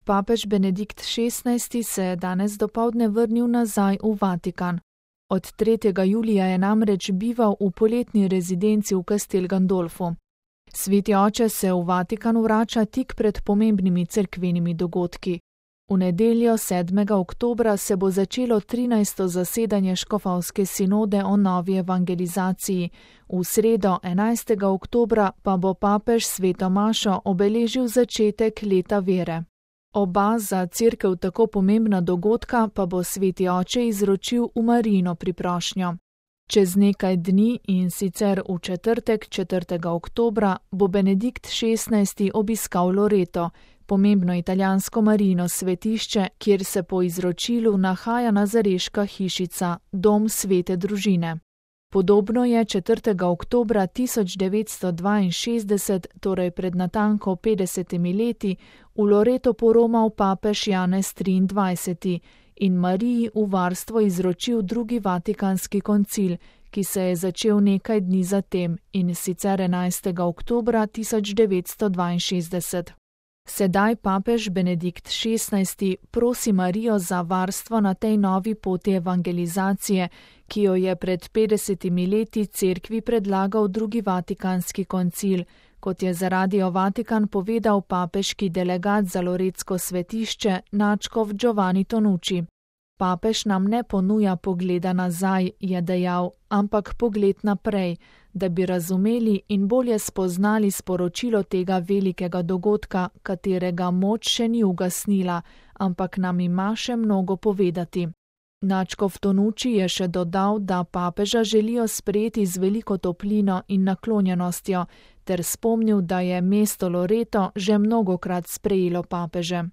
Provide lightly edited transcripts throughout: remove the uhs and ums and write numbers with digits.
Papež Benedikt XVI se je danes dopoldne vrnil nazaj v Vatikan. Od 3. julija je namreč bival v poletni rezidenci v Castel Gandolfu. Sveti oče se v Vatikan vrača tik pred pomembnimi cerkvenimi dogodki. V nedeljo 7. oktobra se bo začelo 13. zasedanje škofovske sinode o novi evangelizaciji, v sredo 11. oktobra pa bo papež sveto mašo obeležil začetek leta vere. Oba za cerkev tako pomembna dogodka pa bo sveti oče izročil v Marijino priprošnjo. Čez nekaj dni, in sicer v četrtek 4. oktobra, bo Benedikt XVI obiskal Loreto, pomembno italijansko Marijino svetišče, kjer se po izročilu nahaja nazareška hišica, dom svete družine. Podobno je 4. oktobra 1962, torej pred natanko 50 leti, v Loreto poromal papež Janez XXIII in Mariji v varstvo izročil drugi vatikanski koncil, ki se je začel nekaj dni zatem, in sicer 11. oktobra 1962. Sedaj papež Benedikt XVI prosi Marijo za varstvo na tej novi poti evangelizacije, ki jo je pred 50 leti cerkvi predlagal drugi vatikanski koncil, kot je za Radio Vatikan povedal papeški delegat za loretsko svetišče nadškof Giovanni Tonucci. Papež nam ne ponuja pogleda nazaj, je dejal, ampak pogled naprej, da bi razumeli in bolje spoznali sporočilo tega velikega dogodka, katerega moč še ni ugasnila, ampak nam ima še mnogo povedati. Nadškof Tonucci je še dodal, da papeža želijo sprejeti z veliko toplino in naklonjenostjo, ter spomnil, da je mesto Loreto že mnogokrat sprejelo papeže.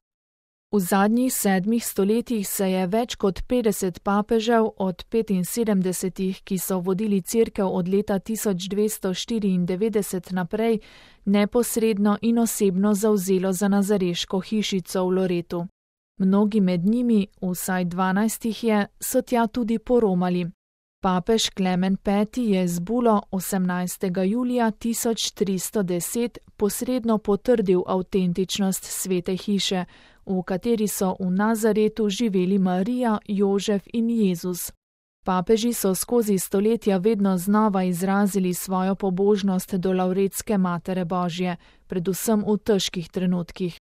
V zadnjih 7 stoletjih se je več kot 50 papežev od 75, ki so vodili cerkev od leta 1294 naprej, neposredno in osebno zavzelo za nazareško hišico v Loretu. Mnogi med njimi, vsaj 12 jih je, so tja tudi poromali. Papež Klemen V je z bulo 18. julija 1310 posredno potrdil avtentičnost svete hiše, v kateri so v Nazaretu živeli Marija, Jožef in Jezus. Papeži so skozi stoletja vedno znova izrazili svojo pobožnost do Lavretske Matere Božje, predvsem v težkih trenutkih.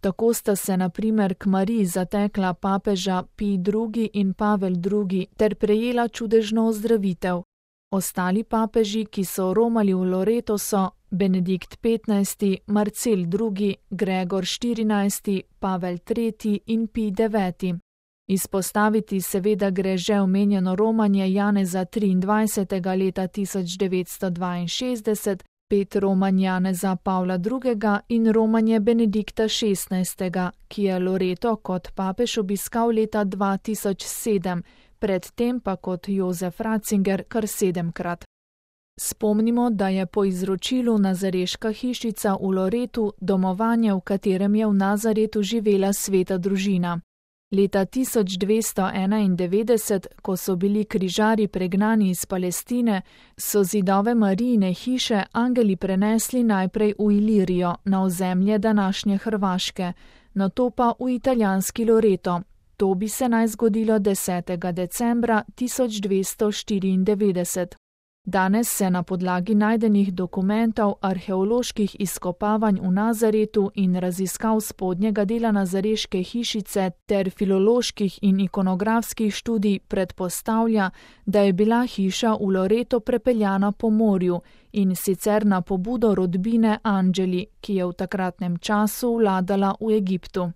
Tako sta se na primer k Mariji zatekla papeža Pij II in Pavel II ter prejela čudežno ozdravitev. Ostali papeži, ki so romali v Loreto, so Benedikt XV, Marcel II, Gregor XIV, Pavel III in Pij IX. Izpostaviti seveda gre že omenjeno romanje Janeza XXIII leta 1962, 5 romanj Janeza Pavla II in romanje Benedikta XVI, ki je Loreto kot papež obiskal leta 2007, predtem pa kot Jozef Ratzinger kar 7-krat. Spomnimo, da je po izročilu nazareška hišica v Loretu domovanje, v katerem je v Nazaretu živela sveta družina. Leta 1291, ko so bili križarji pregnani iz Palestine, so zidove Marijine hiše angeli prenesli najprej v Ilirijo, na ozemlje današnje Hrvaške, nato pa v italijanski Loreto. To bi se naj zgodilo 10. decembra 1294. Danes se na podlagi najdenih dokumentov, arheoloških izkopavanj v Nazaretu in raziskav spodnjega dela nazareške hišice ter filoloških in ikonografskih študij predpostavlja, da je bila hiša v Loreto prepeljana po morju, in sicer na pobudo rodbine Angeli, ki je v takratnem času vladala v Egiptu.